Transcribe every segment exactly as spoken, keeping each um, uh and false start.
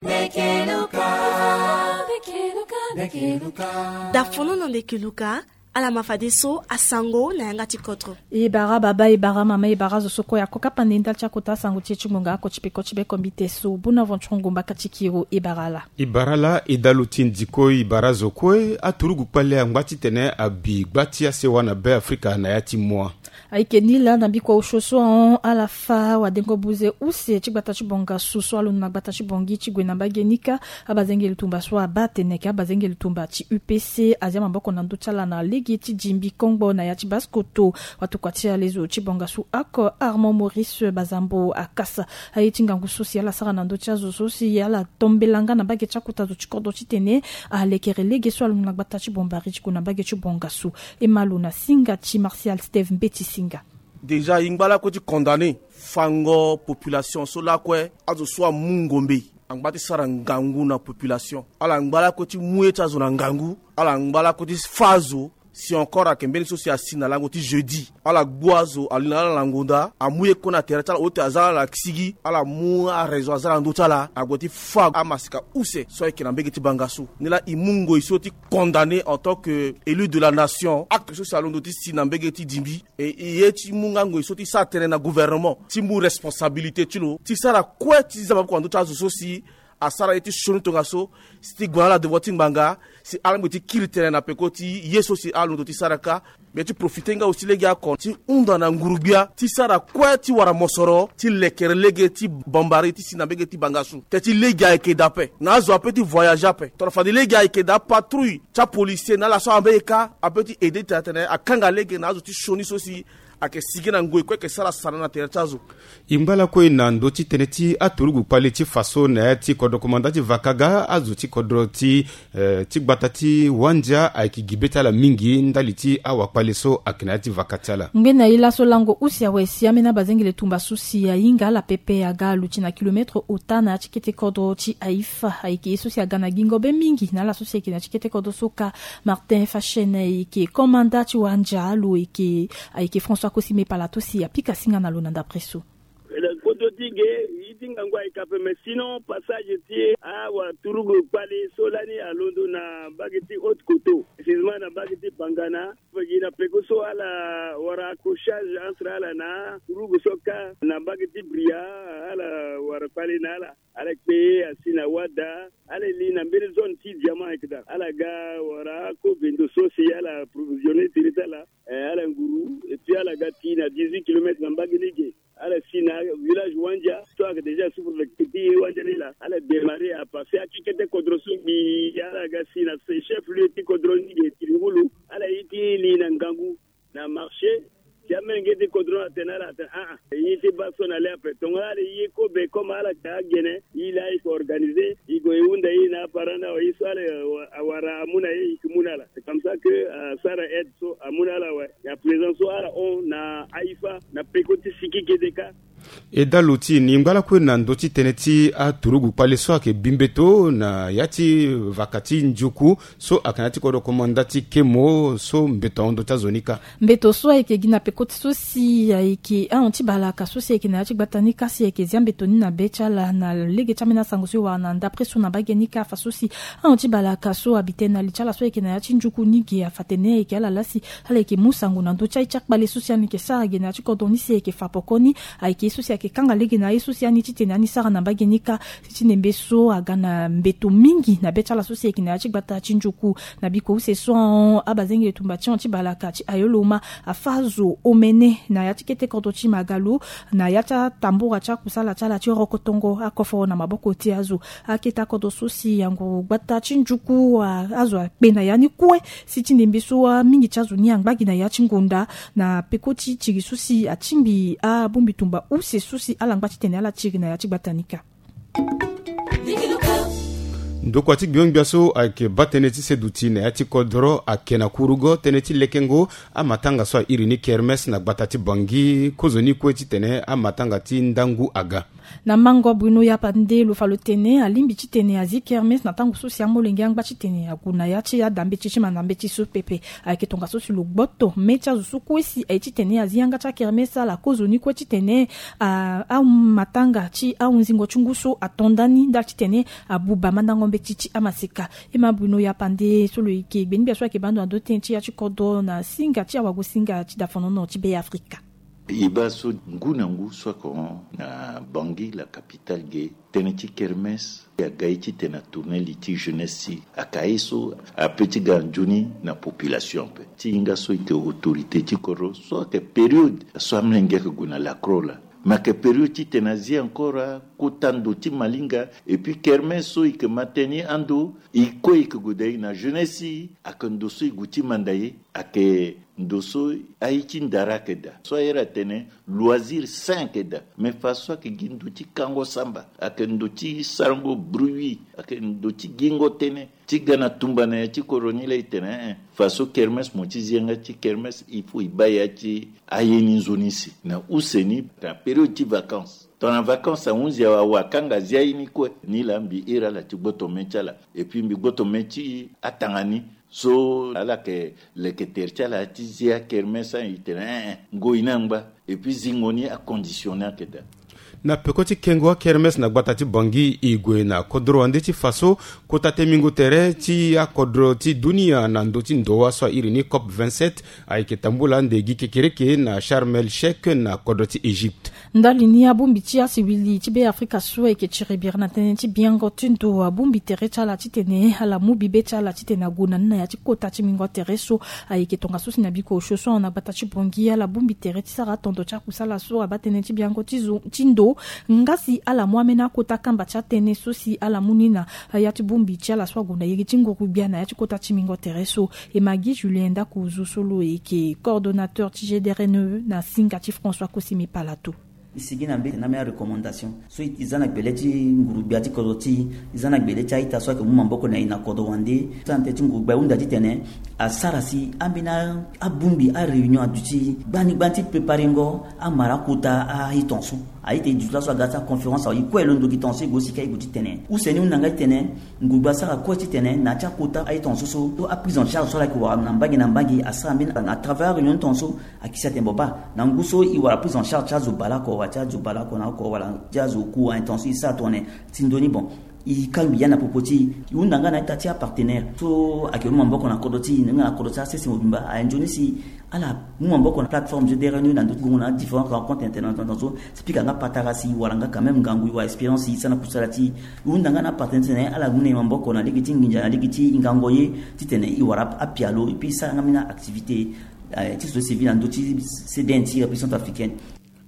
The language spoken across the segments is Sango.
Ndeke Luka. Ndeke Luka. Ndeke Luka. Dafono na Ndeke Luka. Ala ma fadeso asango na yanga ti kodro. E bara baba, e bara mama, e bara zo so kue ako kapa nde ndali ti akota asango ti e ti ngonga oko ti peko ti be kombite so. Bona vanturongo mbaka ti kiro, e bara ala. E bara ala, e dalu ti ndiko, e bara zo kue. Aturugu kpale angba titene abi gba ti asewa na Be Afrika na ya ti mua. Ayeke ni laa na bikua osio so ahon ala fâ wadengo buze use ti gbata ti bongasu so alondo na gbata ti Bangui ti gue na mbage ni kâ. Abazengeli tumba so abaa atene ayeke abazengeli tumba ti U P C azia maboko na ndö ti ala na lege ti dingbi kongbo na ya ti basse-kotto. Watokua ti alezo ti bongasu oko Armand Maurice Bazambo akasa aye ti ngangu so si ala sara na ndö ti azo so si ala tombela nga na mbage ti akota zo ti kodro titene alekere lege so alondo na gbata ti Bombari ti gue na mbage ti bongasu. E ma lo na singa ti Martial Steve Mbeti Singa. Déjà, e ngba lakue ti condamner fango population so lakue azo so amu ngombe angba ti sara ngangu na population. Ala ngba lakue ti mu ye ti azo na ngangu. Ala ngba lakue ti fâ azo. Si encore ayeke mbeni so si asi na lango ti jeudi, ala gbu azo ali na ala na ngonda, amu ye kue na tere ti ala, oti aza ala na kisigi, ala mu araison aza na ndö ti ala, ague ti fâ amasika use so ayeke na mbage ti bangasu. Ni laa e mu ngoi so ti condamner en tant que élu de la nation acte so si alondo ti si na mbage ti dingbi. E, e ye ti mu nga ngoi so ti sara tënë na gouvernement ti mu responsabilité ti lo ti sara kue ti za maboko na ndö ti azo so si asara ye ti sioni tongaso, si ti gue na ala devant ti ngbanga, si ala mu ti kiri tënë na peko ti ye so si ala londo ti sara kâ. Mbi ye ti profiter nga aussi lege oko ti hunda na nguru-gbia ti sara kue ti wara mosoro ti lekere lege ti Bombari ti si na mbage ti bangasu. Teti lege ayeke daa ape na azo ape ti voyager ape. Tongana fade lege ayeke daa, patrouille ti apolisier na ala so ambeni kâ ape ti aider ti atene akanga lege na azo ti sioni so si ayeke sigi na ngoi kue ayeke sara sana na tere ti azo. E ngba lakue na ndö ti tënë ti aturugu kpale ti faso na ya ti kodro komanda ti vaka ga azo ti kodro ti, eh, ti gbata ti Wandia ayeke gi be ti ala mingi ndali ti awakpale so ayeke na ya ti vaka ti ala. Ngbene ye laso lango use awe si ambeni abazengele tumba so si ahinga ala pepe aga aluti na kilomètre ota na ya ti kete kodro ti Haïfa. Ayeke ye so si aga na gingo be mingi na ala so si ayeke na ya ti kete kodro so kâ. Martin Fachene ayeke komanda ti Wandia, lo yeke, ayeke François Kosime Palato si apika singa na lo na ndapre so. Na kodro ti ge, ye ti ngangu ayeke ape, mais sinon passage ti awaturugu kpale so lani alondo na mbage ti Haute-Kotto, précisément na mbage ti Bangana. Gi na peko so ala wara accrochage entre ala na turugu so kâ na mbage ti Bria, ala wara kpale na ala. Ala kpe asi na Wada, ala li na mbeni zone ti diamant ayeke daa. Ala ga wara kovendo so si ala approvisionner tere ti ala, eh, ala nguru, et puis ala ga ti na dix-huit kilomètres na mbage ni ge. Ala si na village Wandia so ayeke déjà souffre na kete ti Wandia ni laa. Ala démarrer apasser akekete kodro so gbi, ala ga si na chef-lieu ti kodro ni ge, Tilingulu. Ala ye ti li na ngangu na marché. Si amenge ti kodro atene ala atene aa, ye ti baa so na le ape. Tongana ala ye kobe comme ala yeke agene, ye laa e yeke organiser, e gue e hunda ye na aparent ni awe, ye so ala, eh, awara amu na ye, e yeke mu na ala. C'est comme ça que, euh, asara aide so amu na ala awe. Ya présent so ala hon na Haïfa na peko ti siki kede kâ. E dalo ti e ni ngba lakue na ndö ti tënë ti aturugu kpale so ayeke bi mbeto na ya ti vaka ti Njuku so ayeke na ya ti kodro komanda ti Kemo so mbeto ahon ndö ti azo ni kâ. Mbeto so ayeke gi na peko ti so si ayeke ahon ti balaka so si ayeke na ya ti gbata ni kâ si ayeke zia mbeto ni na be ti ala na lege ti ambeni asango so e wara na ndapre so na mbage ni kâ. Afa so si ahon ti balaka so abi tënë na li ti ala so ayeke na ya ti Njuku ni ge, afa atene ayeke ala laa si ala yeke mu sango na ndö ti aye ti akpale so si ani yeke sara ge na ya ti kodro ni si ayeke fa poko ni. Ayeke ye so si ayeke kanga lege na aye so si ani titene ani sara na mbage ni kâ. Ti ndembe so aga na mbeto mingi na be ti ala so si ayeke na ya ti gbata ti Njuku. Na biko use so ahon abazengele tumba ti ahon ti balaka ti Ayoloma afâ zo omene na ya ti kete kodro ti Magalo na ya ti atambura ti akusala ti ala ti rokotongo akoforo na maboko ti azo. Akete akodro so si anguru gbata ti Njuku, a, azo akpe na ya ni kue. Si ti ndembe so amingi ti azo ni angba gi na ya ti ngonda na peko ti tiri so si atingbi abongbi tumba use so si ala ngba titene ala tiri na ya ti gbata ni kâ. Ndokua ti gbio-ngbia so ayeke baa tënë ti seduti na ya ti kodro ake na kurugo tënë ti lekengo amatanga so airi ni kermes na gbata ti Bangui kozoni kue titene amatanga ti ndangu aga. Na mango Bruno Yapande lo fa lo tene alingbi titene azi kermes na tango so si amolenge angba titene ague na ya ti adambeti ti manda mbeti so pepe. Ayeke tongaso si lo gboto me ti azo so kue si aye titene azi yanga ti akermes ala kozoni kue titene amatanga ti ahunzingo ti ngu so ato ndani ndali titene abuba mandango mbeti ti amaseka. E ma Bruno Yapande so lo yeke gbeni-gbia so ayeke baa ndo na ndo tënë ti ya ti kodro na singa ti awagosinga ti dafanono ti Be Afrika. E baa so ngu na ngu so ako na Bangui la capitale ge tënë ti kermes aga ye titene atourne li ti jeunesse ti aka ye so ape ti ga nzoni na population ape. Ti hinga so eke autorité ti kodro so ayeke période so amolenge ayeke gue na lakro laa. Me ayeke période titene azi encore akota ndo ti malinga. Et puis kermes so eke ma tënë ni ando e kue eke gue daa e na jeunesse ayeke ndo so e gue ti manda ye. Ayeke ndo so aye ti ndara ayeke daa so ayere atene loisir sain ayeke daa. Me fa so ayeke gi ndo ti kango samba, ayeke ndo ti sarango bruit, ayeke ndo ti gingo tënë ti ga na tumba na ya ti kodro ni laa e tene eh, fa so kermes mo ti zi yanga ti kermes il faut e baa ya ti aye ni nzoni si na use ni na période ti vacances. Tongana vacances ahunzi awa akanga azi aye ni kue. Ni laa mbi iri ala ti gboto me ti ala. Et puis mbi gboto me ti atanga ni so ala yeke leke tere ti ala ti zi akermes aye e tene eh, eh, ngoi ni angba. Et puis zingo ni aconditionné ayeke daa. Na peko ti kengo akermes na gbata ti Bangui e gue na kodro wande ti fa so kota temingo tere ti akodro ti dunia na ndö ti ndowa so airi ni cop vingt-sept ayeke tambula ande gi kekereke na Sharm el Sheikh na kodro ti Égypte. Ndali ni abongbi ti asiwili ti Be Afrika so ayeke tiri biri na tënë ti biango ti ndo abongbi tere ti ala titene ala mu bibe ti ala titene ague na ni na ya ti kota ti mingo tere so ayeke tongaso si na biko osio so ahon na gbata ti Bangui ala bongbi tere ti sara atondo ti akusala so abaa tënë ti biango ti zo ti ndo nga si ala mu ambeni akota kamba ti atënë so si ala mu ni na ya ti bongbi ti ala so ague na iri ti nguru-gbia na ya ti kota ti mingo tere so. E ma gi Julien Ndakuzu so lo yeke coordonnateur ti G D R N E na singa ti François Kosimi Palato. E sigi na mbeti na ambeni arecommandation so e za na gbele ti nguru-gbia ti kodro ti e, e za na gbele ti a-ita so ayeke mu maboko na e na kodro wande. Sara na tënë ti nguru-gbia e hunda titene asara si ambeni abongbi aréunion aduti gbani gbani ti préparengo amara akota a-iton so. A-ita e duti laso aga ti aconférence awe e kue londo gi ton so e gue sika e gue titene use ni hunda nga titene nguru-gbia asara kue titene na ya ti akota a-iton so so aprise en charge so ala yeke wara na mbage na mbage asara mbeni à travers aréunion ti ton so. Akisi atene bon baa na ngu so e wara prise en charge ti azo baleoko wala ti azo baleoko na oko wala ti azo oku aye ton so e sara tongana ti ndoni bon e kangbi ya na popo ti e. E hunda nga na a-ita ti apartenaire so ayeke mu maboko na kodro ti e nga na kodro ti asese mobimba aye nzoni si ala mu maboko na plateforme G D R N E na ndö ti gongo na différentes rencontres internationales so si pika nga patara si e wara nga quand même ngangu e wara expérience e sara na kusala ti e. E hunda nga na apartenaire titene ala mu na e maboko na lege ti nginza na lege ti ngango ye titene e wara apialo et puis e sara nga mbeni activité ti société civile na ndö ti C D N ti République Centrafricaine.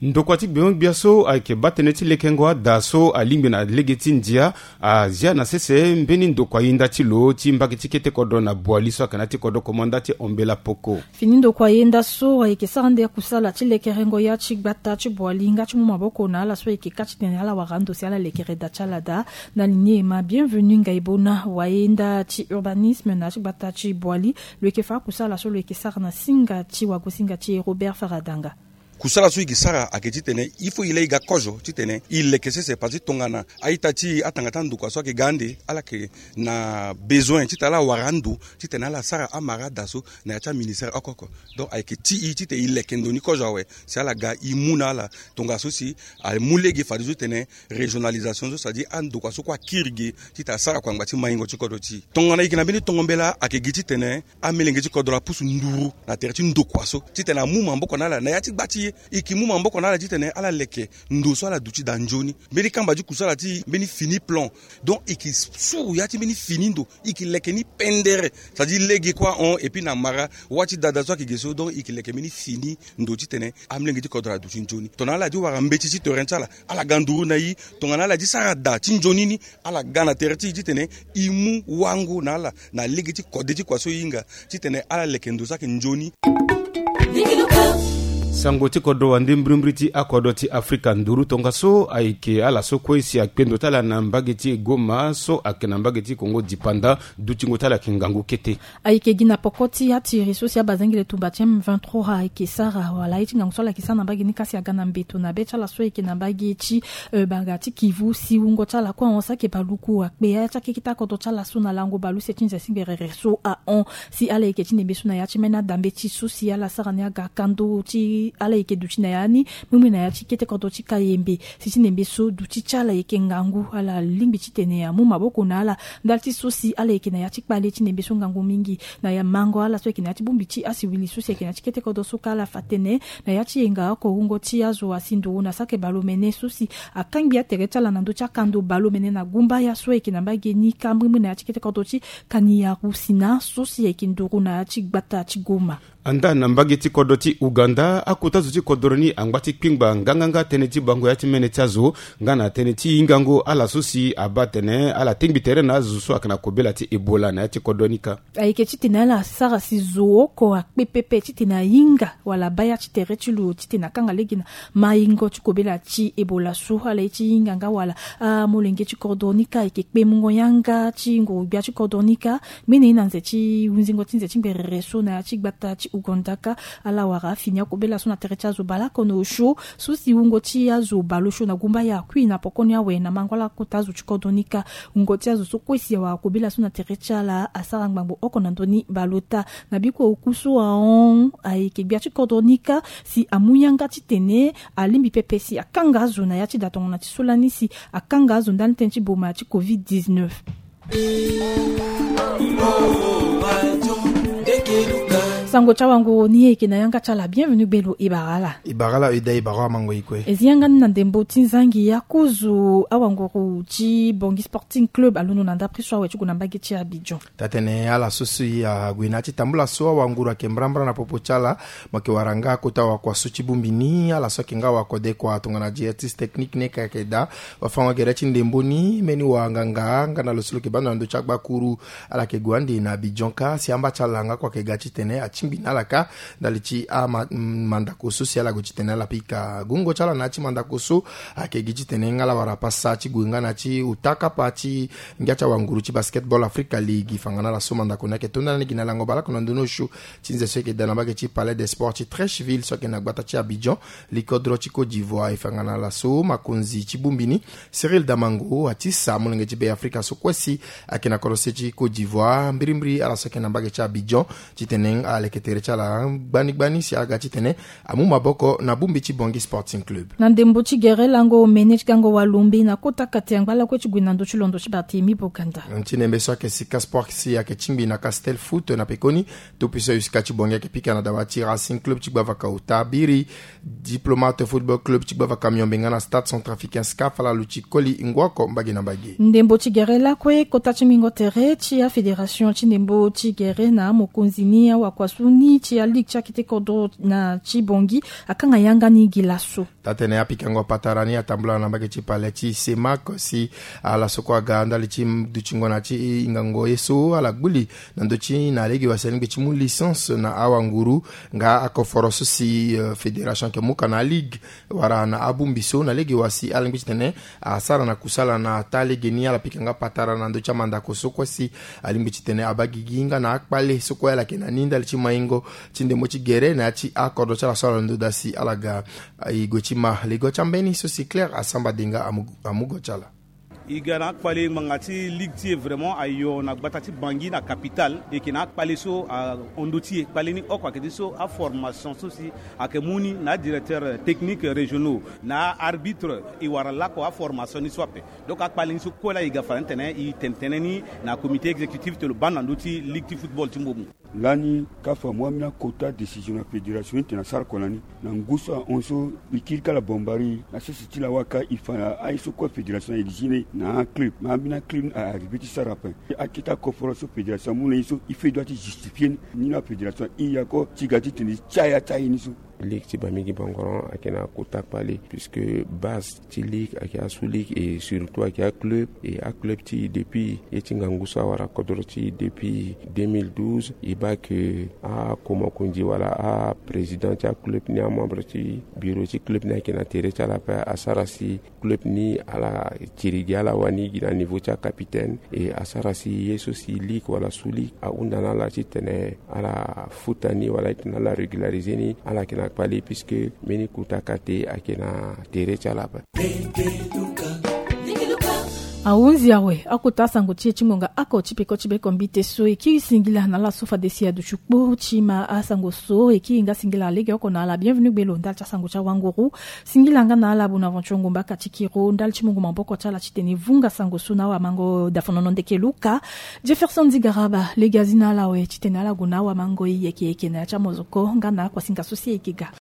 Ndokua ti gbio-gbia so ayeke baa tënë ti lekengo ada so alingbi na lege ti ndia azia na sese mbeni ndokua yenda ti lo ti mbage ti kete kodro na Boali so ayeke na ya ti kodro komanda ti Ombela Poko. Fini ndokua yenda so ayeke sara nde kusala ti lekerengo ya ti gbata ti Boali nga ti mu maboko na ala so ayeke kâ titene ala wara ando si ala lekere da ti ala daa. Na ligne e ma Bienvenu Ngaibona wayenda ti urbanisme na ya ti gbata ti Boali lo yeke fa akusala so lo yeke sara na singa ti wagosinga ti e Robert Faradanga. Kusala so e ke sara ayeke titene il faut e laa e ga kozo titene e leke sese parce que tongana a-ita ti e atanga ti andokua so ayeke ga ande ala yeke na besoin titene ala wara ando titene ala sara amara ada so na ya ti aministère oko oko. Donc ayeke ti e titene e leke ndo ni kozo awe si ala ga e mu na ala tongaso si amu lege fadeso titene régionalisation so c'est-à-dire andokua so kue akiri ge titene asara kua ngba ti maingo ti kodro ti e. Tongana e yeke na mbeni tongo mbela ayeke gi titene amelenge ti kodro apusu nduru na tere ti ndokua so titene amu maboko na ala na ya ti gba ti e. E yeke mu maboko na ala titene ala leke ndo so ala duti daa nzoni. Mbeni kamba ti kusala ti e mbeni fini plan. Donc e yeke suru ya ti mbeni fini ndo e yeke leke ni pendere. C'est-à-dire lege kue ahon et puis na mara wâ ti dada so ayeke ge so donc e yeke leke mbeni fini ndo titene amelenge ti kodro aduti nzoni. Tongana ala di wara mbeti ti terrain ti ala ala ga nduru na e. Tongana ala di sara da ti nzoni ni ala ga na tere ti e titene e mu wango na ala na lege ti kode ti kua so e hinga titene ala leke ndo so ayeke nzoni. Sango ti kodro wande mbirimbiri ti akodro ti Afrika nduru tongaso ayeke ala so kue si akpe ndo ti ala na mbage ti Goma so ayeke na mbage ti Kongo dipanda. Dutingo ti ala ayeke ngangu kete. Ayeke gi na poko ti atiri so si abazengele tumba ti M vingt-trois ayeke sara wala aye ti ngangu so ala yeke sara na mbage ni kasi aga na mbeto na be ti ala so ayeke na mbage ti, eh, banga ti Kivu si wungo ti ala kue ahon saki baluku akpe ya ti akekita kodro ti ala so na lango baleuse ti nze si ngbere so ahon. Si ala yeke ti ndembe so na ya ti mene adambe ti so si ala sara ni aga kando ti ala yeke duti na ya ni. Meme na ya ti kete kodro ti Kayembe si ti ndembe so duti ti ala yeke ngangu ala lingbi titene amu maboko na ala. Ndali ti so si ala yeke na ya ti kpale ti ndembe so ngangu mingi na ya mango ala so yeke na ya ti bongbi ti asiwili so si yeke na ya ti kete kodro so ka ala fa tene na ya ti yenga oko wungo ti azo asi nduru na saki baleomene so si akangbi atere ti ala na ndö ti akando baleomene na gumbaya so ayeke na mbage ni ka mbirimbiri na ya ti kete kodro ti Kaniyaru si na so si ayeke nduru na ya ti gbata ti Goma. Anda na mbage ti kodro ti Uganda akota zo ti kodro ni angba ti kpingba nganganga tënë ti bango ya ti mene ti azo nga na tënë ti hingango ala so si abaa atene ala tengbi tere na azo so ayeke na kobela ti Ebola na ya ti kodro ni ka. Ayeke titene ala sara si zo oko akpe pepe titene ahinga wala abaa ya ti tere ti lo titene akanga lege na maingo ti kobela ti Ebola so ala ye ti hinga nga wala amolenge ti kodro ni ka ayeke kpe mungo yanga ti nguru-gbia ti kodro ni ka. Ngbene ye na nze ti hunzingo ti nze ti ngberere so na ya ti gbata ti Uganda ka ala wara afini akobela so na tere ti azo baleoko na osio so si wungo ti azo baleosio na gumbaya akui na pokoni awe na mango ala kota azo ti kodro ni ka. Wungo ti azo so kue si awara kobela so na tere ti ala asara ngbangbo oko na ndö ni baleota. Na bikua oku so ahon ayeke gbia ti kodro ni ka si amu yanga titene alingbi pepe si akanga azo na ya ti da tongana ti so lani si akanga azo ndani tënë ti boma ti covid dix-neuf. Sango ti awanguru ni ayeke na yanga ti ala bienvenu gbelo e bara ala. E bara ala e daa e bara amango e kue. E zi yanga ni na ndembo ti nzangi ya kozo awanguru ti Bangui Sporting Club alondo na ndapre so awe ti gue na mbage ti Abidjan. Tatene ala so si ague na ya ti tambula so awanguru ayeke mbrambra na popo ti ala. Mo yeke wara nga kota wakua so ti bongbi ni ala so ayeke nga wakodekua tongana directrice technique ni yeke ayeke daa wafango gere ti ndembo ni mbeni wanganga nga na lo so lo yeke baa ndo na ndö ti agbakuru. Ala yeke gue ande na Abidjan ka si amba ti ala nga kue ayeke ga titene atingbi na ala ka ndali ti ama, mandako so si ala gue titene ala pika gungo ti ala na ya ti mandako so. Ayeke gi titene nga ala wara pasa ti gue nga na ya ti ota kapa ti ngia ti awanguru ti Basketball Africa League fanga na ala so mandako ni ayeke to ndani gi na lango baleoko na ndö ni osio ti nze so ayeke daa na mbage ti Palais des Sports ti Treichville so ayeke na gbata ti Abidjan. Likodro ti Côte d'Ivoire e fa nga na ala so makonzi ti bongbi ni Cyril Damango atisa molenge ti Be Afrika so kue si ayeke na kodro se ti Côte d'Ivoire mbirimbiri ala so ayeke na mbage ti Abidjan titene ala leke tere ti ala gbani gbani si aga titene amu maboko na bongbi ti Bangui Sporting Club. Na ndembo ti gere lango omene ti gango walombe na kota kate angba lakue ti gue na ndö ti londo ti Barthélemy Boganda. Ti ndembe so ayeke sika sport si ayeke tingbi na Castel Foot na pekoni. Topi so ayo sika ti Bangui ayeke pika na dawa ti Racing Club ti gbavaka ota biri, Diplomate Football Club ti gbavaka miombe nga na Stade Centrafricain SCAF ala luti koli ngu oko mbage na mbage. Ndembo ti gere lakue kota ti mingo tere ti afédération ti ndembo ti gere na amokonzi ni awakua so ni ti aligue ti akete kodro na ti Bangui akanga yanga ni gi laso. Tatene apikango patara ni atambula na mbage ti palais ti CEMAC si ala so kue aga ndali ti dutingo na ti hingango ye so ala gbuli na ndö ti na lege wa si alingbi ti mu licence na awanguru nga akoforo so si, eh, fédération ayeke mu ka na aligue wala na abongbi so na lege wa si ala lingbi titene asara na kusala na taa lege ni. Ala pika nga patara na ndö ti amandako so kue si alingbi titene abaa gigi nga na akpale so kue ala yeke na ni ndali ti maingo ti ndembo ti gere na ya ti akodro ti ala so ala londo daa si ala ga. E gue ti ma lego ti ambeni so si Claire Asamba Denga amu, amu go ti ala. E ga na akpale ngbanga ti ligue ti e vraiment ayo na gbata ti Bangui na capitale. E yeke na akpale so ahon ndö ti e. Kpale ni oko ayeke ti so aformation so si ayeke mu ni na adirecteur technique régionaux na aarbitre. E wara lako aformation ni so ape. Donc akpale ni so kue laa e ga fa na ni tene e tene tënë ni na comité exécutif ti lo baa na ndö ti ligue ti football ti mbomu. Lani CAF amu ambeni akota décision na fédération ni tene asara oko na ni na ngu so ahon so e kiri kâ ala bombari na sese ti lawa ka e fa na aye so kue fédération a exigé na aclub. Ma ambeni aclub ni a arrivé ti sara ape. Akete akoforo so fédération amu na ye so e fait droit ti justifié ni. Ni la fédération ahinga oko ti ga titene e ti aya ti aye ni so. Ligue ti Bambiki Bangoron ayeke na kota kpale, puisque base ti ligue ayeke asu ligue, et surtout ayeke aclub. Et aclub ti e depuis ye ti ngangu so awara kodro ti e depuis deux mille douze, e baa ke akomakonzi wala aprésident ti aclub ni, amembre ti bureau ti club ni ayeke na tere ti ala ape. Asara si club ni ala tiri gi ala wani gi na niveau ti acapitaine, et asara si ye so si ligue wala sous ligue ahunda na ala titene ala futa ni wala titene ala régulariser ni. Ala yeke na kpale puisque mbeni kota kate ayeke na tere ti ala ape. Ahunzi awe akota asango ti e ti ngonga oko ti peko ti beko mbite so e kiri singila na ala so fade si aduti kpo ti ma asango so. E kiri nga singila legeoko na ala bienvenu gbelo ndali ti asango ti awanguru. Singila nga na ala Bonaventure Ngomba Katikiro ndali ti mungo maboko ti ala titene e vunga sango so na awamango Dafonono Ndeke Luka. Jefferson Zigaraba lege azi na ala awe titene ala gue na awamango e yeke yeke na ya ti amozoko nga na akuasinga so si e yeke ga.